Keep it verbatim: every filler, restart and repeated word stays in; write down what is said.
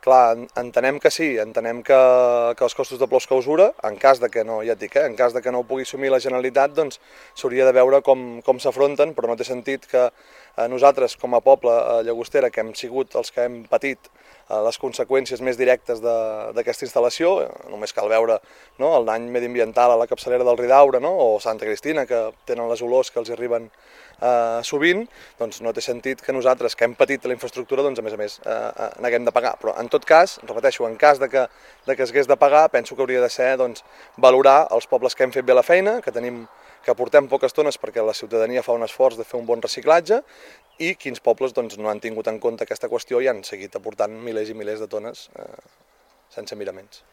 Clar, entenem que sí, entenem que, que els costos de Plous que usura, en cas de que no, ja et dic, eh, en cas de que no ho pugui assumir la Generalitat, doncs s'hauria de veure com, com s'afronten, però no té sentit que eh, nosaltres, com a poble a Llagostera, que hem sigut els que hem patit eh, les conseqüències més directes d'aquesta instal·lació, només cal veure no, el dany mediambiental a la capçalera del Ridaura, no, o Santa Cristina, que tenen les olors que els arriben eh, sovint, doncs no té sentit que nosaltres, que hem patit la infraestructura, doncs a més a més eh, n'haguem de pagar. Però en tot cas, repeteixo, en cas de que, de que s'hagués de pagar, penso que hauria de ser doncs, valorar els pobles que hem fet bé la feina, que tenim que portem poques tones perquè la ciutadania fa un esforç de fer un bon reciclatge, i quins pobles doncs, no han tingut en compte aquesta qüestió i han seguit aportant milers i milers de tones eh, sense miraments.